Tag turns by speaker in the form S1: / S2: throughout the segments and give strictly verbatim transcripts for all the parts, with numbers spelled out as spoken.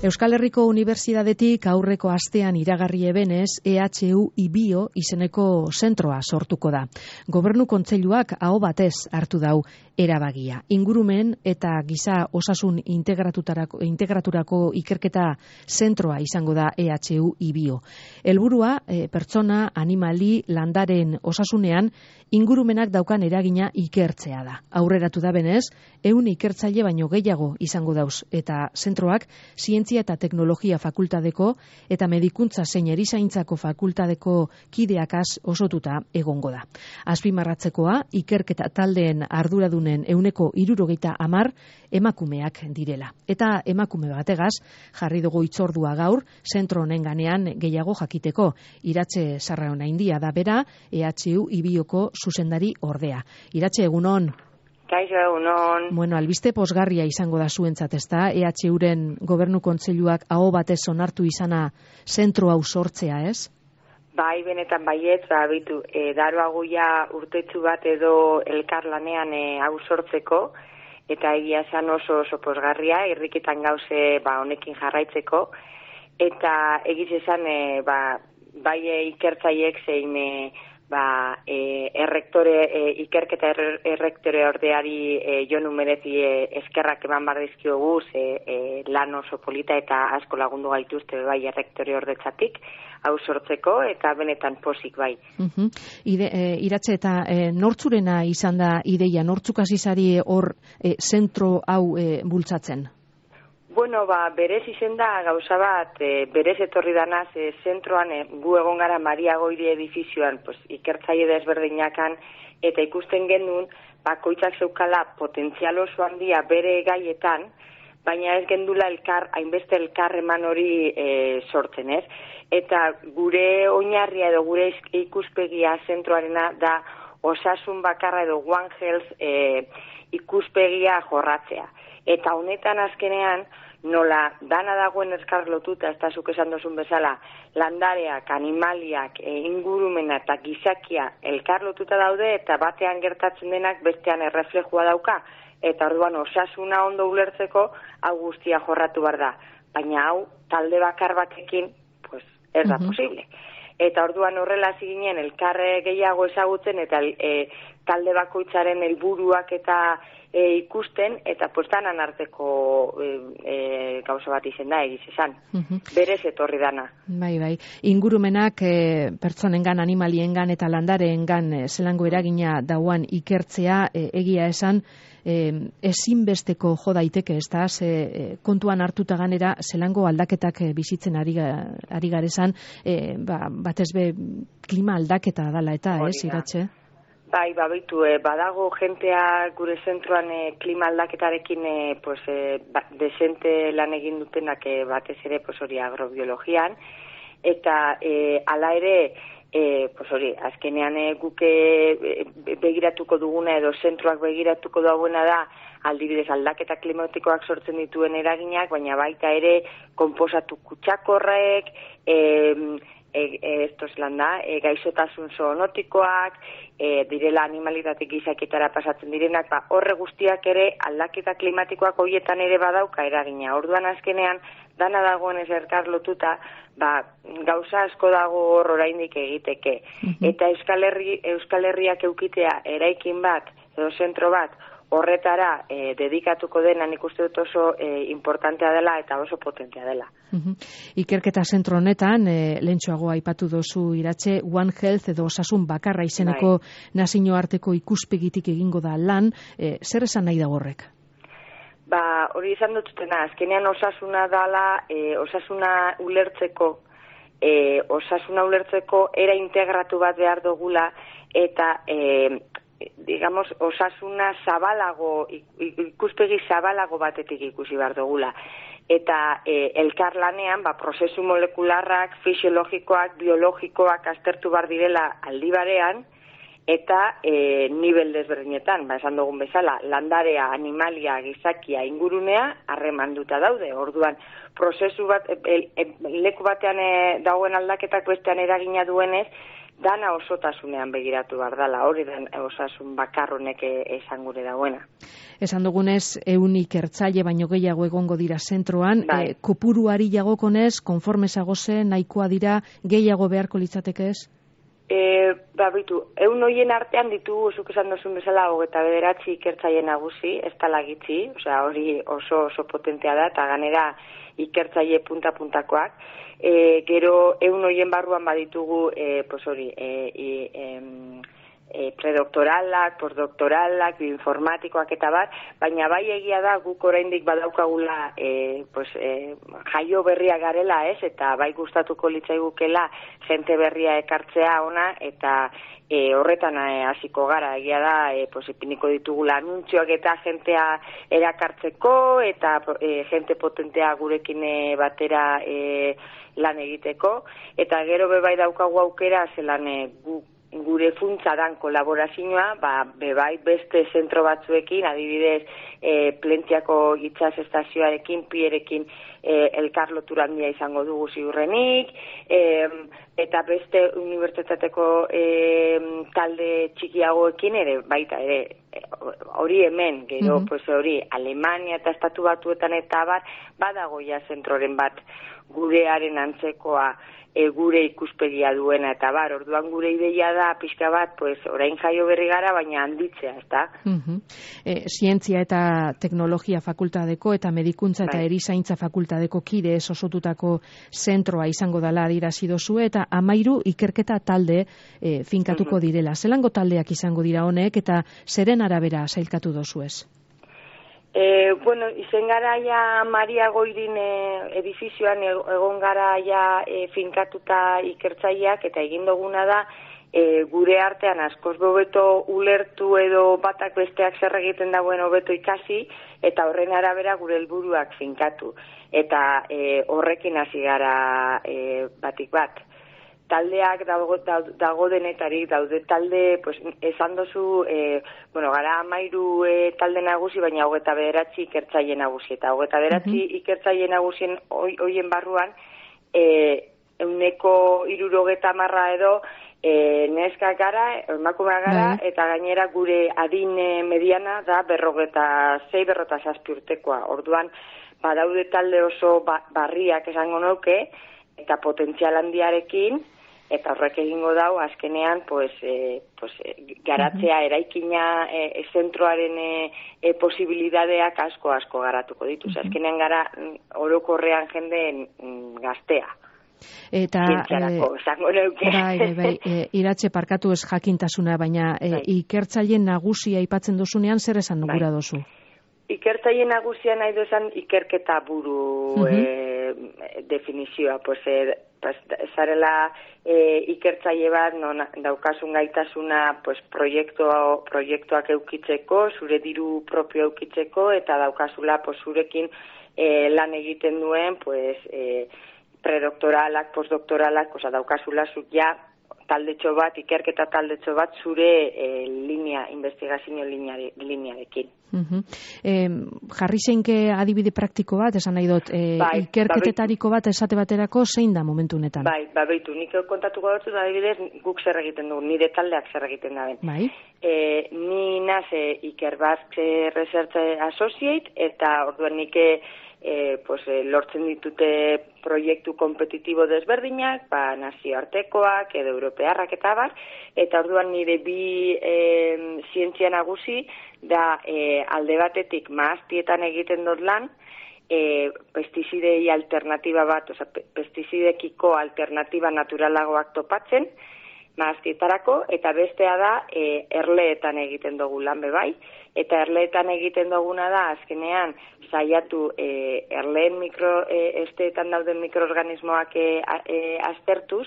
S1: Euskal Herriko Unibertsitatetik aurreko astean iragarri ebenez E H U Ibio izeneko zentroa sortuko da. Gobernu Kontseiluak aho batez hartu dau erabagia. Ingurumen eta giza osasun integraturako, integraturako ikerketa zentroa izango da E H U Ibio. Helburua e, pertsona, animali, landaren osasunean ingurumenak daukan eragina ikertzea da. Aurreratu da benez, ehun ikertzaile baino gehiago izango dauz eta zentroak zientzia eta teknologia fakultadeko eta medikuntza zein erizaintzako fakultadeko kideakaz osotuta egongo da. Azpimarratzekoa, ikerketa taldeen arduradunen ehuneko hirurogeita hamar emakumeak direla. Eta emakume bategaz jarri dugu hitzordua gaur, zentro honen ganean gehiago jakiteko. Iratxe Sarraonaindia da bera, E H U Ibioko zuzendari ordea. Iratxe, egunon.
S2: Kaixo, egunon.
S1: Bueno, albiste posgarria izango da zuentzat, ezta? E H Uren Gobernu Kontseiluak aho batez onartu izana zentro hau sortzea, ez?
S2: Bai, benetan baietz, ba, bitu, e, daroagoia urtetxu bat edo elkarlanean e, hau sortzeko, eta egia esan oso oso posgarria, irrikitan gauze ba, honekin jarraitzeko, eta egiz esan e, ba, bai e, ikertzaiek zein e, ba, e, errektore, e, ikerketa er, errektore ordeari e, jonu merezi e, eskerrak eman bardizkiogu, e, e, lan oso polita eta asko lagundu gaituzte bai errektore ordetzatik, hau sortzeko, eta benetan pozik bai.
S1: Uh-huh. Ide, e, iratze eta e, nortzurena izan da ideia, nortzuk azizari hor e, zentro hau e, bultzatzen?
S2: Bueno, ba, berez izen da gauza bat, e, berez etorri danaz, e, zentroan e, gu egon gara Maria Goiri edifizioan, pues, ikertzaile desberdinakan, eta ikusten genuen, bakoitzak zeukala potentzial oso handia bere gaietan, baina ez gendula elkar, hainbeste elkar eman hori e, sortzen, ez? Eta gure oinarria edo gure ikuspegia zentroarena da osasun bakarra edo One Health e, ikuspegia jorratzea. Eta honetan azkenean, nola dana dagoen elkar lotuta, ez da zuk esan dozun bezala, landareak, animaliak, e, ingurumena eta gizakia elkar lotuta daude, eta batean gertatzen denak bestean erreflejua dauka, eta orduan osasuna ondo ulertzeko hau guztia jorratu behar da. Baina hau talde bakar batekin, pues, ez da uh-huh. posible. Eta orduan horrela ziginen elkarre gehiago ezagutzen eta e, talde bakoitzaren helburuak eta e, ikusten, eta postanan arteko e, e, gauza bat izen da, egiz esan. Uh-huh. Berez etorri dana.
S1: Bai, bai. Ingurumenak e, pertsonengan, animaliengan eta landareengan e, zelango eragina dauan ikertzea e, egia esan, E, ezinbesteko jo daiteke, ez da, ze, e, kontuan hartuta ganera, zelango aldaketak e, bizitzen ari, ari garezan, e, ba, batez be klima aldaketa dala eta, ez, Iratxe?
S2: Bai, babitu, e, badago jentea gure zentroan e, klima aldaketarekin e, pues, e, ba, desente lan egin dutenak e, batez ere pues, hori agrobiologian, eta e, ala ere, E, pues hori, azkenean e, guke e, begiratuko duguna edo zentroak begiratuko dauena da aldibidez aldaketa klimatikoak sortzen dituen eraginak, baina baita ere konposatu kutsakorrek, e, e, e, estos landa, e, gaizotasun zoonotikoak, e, direla animalitatik gizaketara pasatzen direnak, ba, horre guztiak ere aldaketa klimatikoak horietan ere badauka eragina. Orduan azkenean, dana dagoen ez erkar lotuta, ba, gauza asko dago hor oraindik egiteke. Uh-huh. Eta Euskal, Herri, Euskal Herriak eukitea eraikin bat, edo zentro bat, horretara e, dedikatuko dena nik uste dut oso e, importantea dela eta oso potentea dela.
S1: Uh-huh. Ikerketa zentro honetan, e, lehentxoago aipatu dozu Iratxe, One Health edo osasun bakarra izeneko bai. Nazioarteko ikuspegitik egingo da lan, e, zer esan nahi da horrek?
S2: Ba, hori izan dututena, azkenean osasuna dala, e, osasuna ulertzeko, e, osasuna ulertzeko era integratu bat behar dugula, eta, e, digamos, osasuna zabalago, ikuspegi zabalago batetik ikusi behar dugula. Eta e, elkarlanean, ba, prozesu molekularrak, fisiologikoak, biologikoak aztertu behar direla aldi barean, eta e, nivel desberdinetan, ba, esan dugun bezala, landarea, animalia, gizakia, ingurunea, harremanduta daude. Orduan, prozesu bat, e, e, leku batean e, dagoen aldaketak bestean eragina duenez, dana osotasunean begiratu behar dela, hori den osasun bakarronek esan gure dagoena.
S1: Esan dugunez, ehun ikertzaile baino gehiago egongo dira zentroan,
S2: bai.
S1: e, kopuruari jagokonez, konformesago zen, nahikoa dira, gehiago beharko litzateke ez?
S2: E, ba, bitu, ehun hoien artean ditugu, zuk esan duzun bezala, hogeta bederatzi ikertzaile nagusi, ez tala gitzi, osea, hori oso oso potentea da, eta ganera ikertzaile punta-puntakoak. E, gero, ehun hoien barruan baditugu, e, pues hori, e, e, e, e, predoktoralak, postdoktoralak, bioinformatikoak eta bat, baina bai egia da guk oraindik badaukagula e, pues, e, jaio berria garela, ez, eta bai gustatuko litzaigukela jente berria ekartzea ona, eta e, horretan hasiko gara, egia da, e, pues, ipiniko ditugula anuntzioak eta jentea erakartzeko, eta e, jente potentea gurekin e, batera e, lan egiteko, eta gero bebai daukagu aukera, zelan e, guk gure funtsa dan kolaborazioa, ba, bebai beste zentro batzuekin, adibidez, e, Plentziako itsas estazioarekin, Pierrekin e, elkarlotura handia izango dugu ziurrenik, e, eta beste unibertsitateko e, talde txikiagoekin ere, baita ere, hori hemen, gero, mm-hmm. pues hori, Alemania eta Estatu Batuetan eta bar, badago ja zentroren bat gurearen antzekoa, E, gure ikuspegia duena eta bar, orduan gure ideia da pixka bat, pues, orain jaio berri gara, baina handitzea, ezta?
S1: Uh-huh. E, zientzia eta teknologia fakultadeko eta medikuntza eta erizaintza fakultadeko kide ez osotutako zentroa izango dela adierazi dozue, eta amairu ikerketa talde e, finkatuko uh-huh. direla. Zelango taldeak izango dira honek eta zeren arabera sailkatu dozuez?
S2: E, bueno, izen gara ja Maria Goirin e, edifizioan egon gara ja e, finkatuta ikertzaileak, eta egin duguna da e, gure artean askoz hobeto ulertu edo batak besteak zer egiten dagoen hobeto ikasi, eta horren arabera gure helburuak finkatu. Eta e, horrekin hasi gara e, batik bat. Taldeak dago, dago denetarik, daude talde, pues, esan dozu, e, bueno, gara amairu e, talde nagusi, baina hogeta bederatzi ikertzaile nagusi, eta hogeta bederatzi uh-huh. ikertzaile nagusien hoien barruan, e, euneko irurogeta marra edo, e, neska gara, emakumea gara, uh-huh. eta gainera gure adin mediana da berrogeta zei, berrota zazpi urtekoa. Orduan, badaude talde oso ba, barriak esango nuke, eta potentzial handiarekin, eta horrek egingo dau, azkenean, pues, e, pues, garatzea uh-huh. eraikina e, zentroaren e, e, posibilidadeak asko-asko garatuko ditu. Uh-huh. Azkenean gara orokorrean jende gaztea.
S1: Eta
S2: zientziarako, esango neuke.
S1: Bai, bai, bai, e, iratxe parkatu ez jakintasuna, baina e, ikertzaile nagusia aipatzen dozunean zer esan nugura bai. dozu?
S2: Ikertzaile nagusia nahi duzan ikerketa buru uh-huh. e, definizioa, pues, e, pues, zarela e, ikertzaile bat, non daukasun gaitasuna pues, proiektu, proiektuak eukitzeko, zure diru propio eukitzeko, eta daukazula pues, zurekin e, lan egiten duen pues, e, predoktoralak, postdoktoralak, oza, daukazula zut ja taldetxo bat, ikerketa taldetxo bat zure e, linea, investigazio linearekin.
S1: Uh-huh. E, jarri zeinke adibide praktiko bat, esan nahi dut, e, bai, ikerketetariko bat esate baterako zein da momentu honetan?
S2: Bai, babeitu, nik kontatuko dut, adibidez, guk zer egiten dugu, nire taldeak zer egiten da ben.
S1: Bai.
S2: E, ni naze Ikerbat Research Associate, eta orduan nik E, pues, e, lortzen ditute proiektu kompetitibo desberdinak, ba, nazioartekoak edo europearrak eta bar, eta orduan nire bi e, zientzia nagusi da e, alde batetik maaztietan egiten dut lan, e, pestizidei alternatiba bat, oza, pestizidekiko alternatiba naturalagoak topatzen, maaztietarako, eta bestea da e, erleetan egiten dugu lan bebai, eta erleetan egiten duguna da, azkenean, saiatu e, erleen mikro, e, esteetan dauden mikroorganismoak e, e, aztertuz,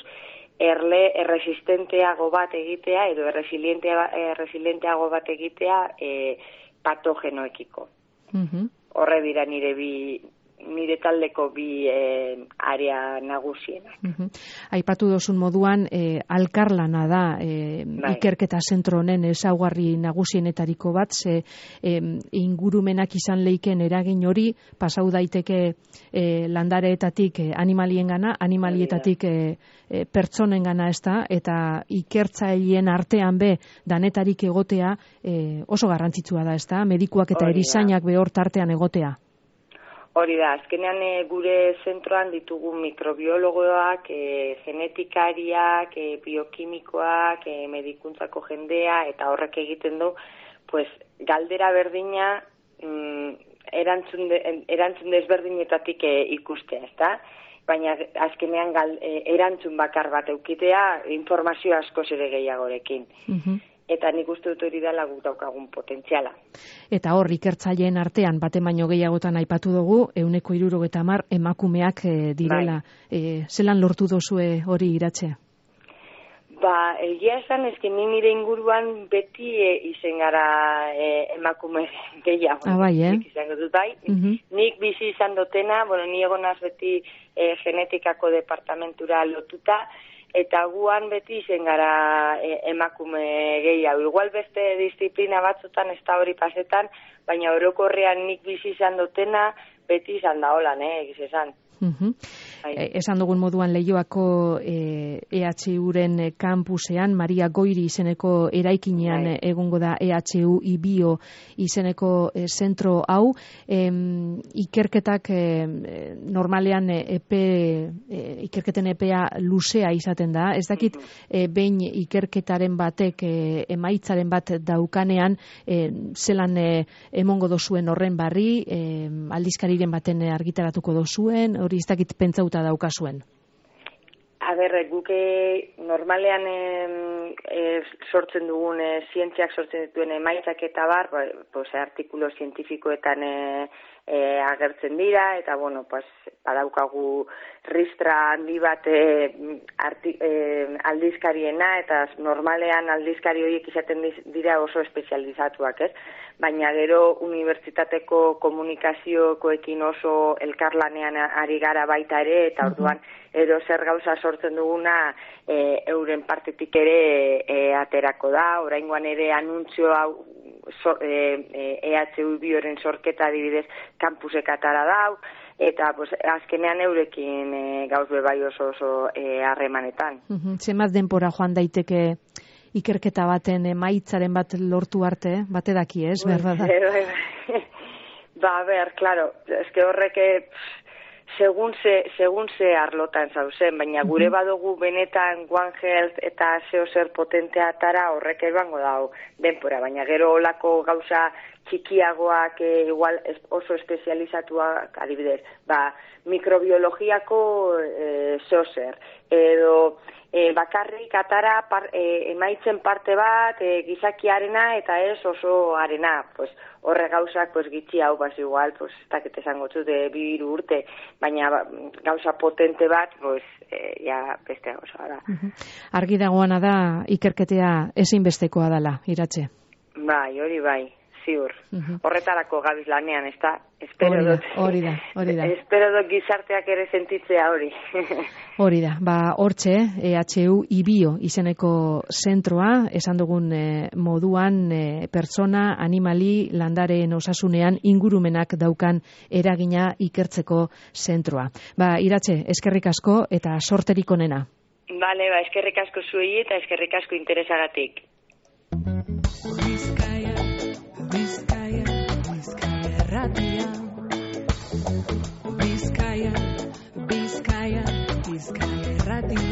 S2: erle erresistenteago bat egitea, edo erresilienteago bat egitea e, patogenoekiko. Uh-huh. Horre dira nire bi nire taldeko bi e, area nagusienak.
S1: Uh-huh. Aipatu dozun moduan, e, alkarlana da e, bai. Ikerketa zentro honen ezaugarri nagusienetariko bat, ze e, ingurumenak izan leiken eragin hori, pasau daiteke e, landareetatik e, animaliengana, animalietatik e, e, pertsonengana ez da, eta ikertzaileen artean be danetarik egotea e, oso garrantzitsua da, ez da, medikuak eta erizainak behor tartean egotea.
S2: Hori da, azkenean e, gure zentroan ditugu mikrobiologoak, e, genetikariak, e, biokimikoak, e, medikuntzako jendea, eta horrek egiten du, pues, galdera berdina mm, erantzun, de, erantzun desberdinetatik e, ikustea, ezta? Baina azkenean gal, e, erantzun bakar bat eukitea informazio askoz ere gehiagorekin. Uh-huh. Eta nik uste dut hori dela guk daukagun potentziala. Eta
S1: hor, ikertzaileen artean, bate baino gehiagotan aipatu dugu, ehuneko hirurogeita hamar emakumeak e, direla. Bai. E, zelan lortu dozue hori Iratxe?
S2: Ba, egia esan, ezke ni nire inguruan beti e, izen gara e, emakume gehiago.
S1: Ah, bai, eh?
S2: Nik izango dut, bai. Uh-huh. Nik bizi izan dutena, bueno, ni egonaz beti e, genetikako departamentura lotuta, eta guan beti izen gara e, emakume gehiago. Igual beste disiplina batzutan ez da hori pasetan, baina orokorrean nik bizi izan dutena beti izan da holan, eh, egiz esan.
S1: Uh-huh. E, esan dugun moduan Leioako e, E H U-ren kampusean, Maria Goiri izeneko eraikinean Hai. egongo da E H U Ibio izeneko e, zentro hau. E, ikerketak e, normalean epe, e, ikerketen epea luzea izaten da. Ez dakit e, behin ikerketaren batek e, emaitzaren bat daukanean e, zelan e, emongo dozuen horren barri, e, aldizkariren baten argitaratuko dozuen, hori ez dakit pentsauta daukazuen.
S2: A ber, guke normalean e, e, sortzen dugun, e, zientziak sortzen dituen emaitzak eta bar, pues, artikulo zientifikoetan e, e, agertzen dira, eta bueno, pues, badaukagu ristra handi bat e, arti, e, aldizkariena, eta normalean aldizkari horiek izaten dira oso espezializatuak, ez? Baina gero unibertsitateko komunikaziokoekin oso elkarlanean ari gara baita ere, eta orduan ero zer gauza sortzen duguna e, euren partetik ere e, aterako da. Oraingoan ere anuntzio hau so, e, E H U Bioren sorketa adibidez kampusek atara dau, eta pues, azkenean eurekin e, gauz bebai oso oso harremanetan. E,
S1: uh-huh. Zenbat denpora joan daiteke ikerketa baten emaitzaren bat lortu arte, bate daki, ez, berdada?
S2: Ba, ber, claro, eske horreke segun ze, segun ze arlotan zauzen, baina gure badugu benetan One Health eta zeo zer potentea atara horrek ebango dau denpora, baina gero olako gauza txikiagoak e, igual oso espezializatuak adibidez, ba, mikrobiologiako e, zeo zer, edo e, bakarrik atara par, e, emaitzen parte bat e, gizakiarena eta ez oso arena, pues, horre gauzak pues, gitxi hau baz igual, pues, ez dakit esango txute bi hiru urte, baina ba, gauza potente bat, pues, e, ja beste gauza da.
S1: Uh-huh. Argi dagoana da ikerketea ezinbestekoa dela, Iratxe.
S2: Bai, hori bai. Ziur. Uh-huh. Horretarako gabiz lanean, ez da?
S1: Hori da, hori da, hori da.
S2: Espero dut gizarteak ere sentitzea hori.
S1: Hori da, ba, hortxe, E H U Ibio izeneko zentroa, esan dugun e, moduan, e, pertsona, animali, landareen osasunean ingurumenak daukan eragina ikertzeko zentroa. Ba, Iratxe, eskerrik asko eta sorterik onena.
S2: Bale, ba, eskerrik asko zuei eta eskerrik asko interesagatik.
S3: Bizkaia, Bizkaia erratia. Bizkaia, Bizkaia, Bizkaia erratia.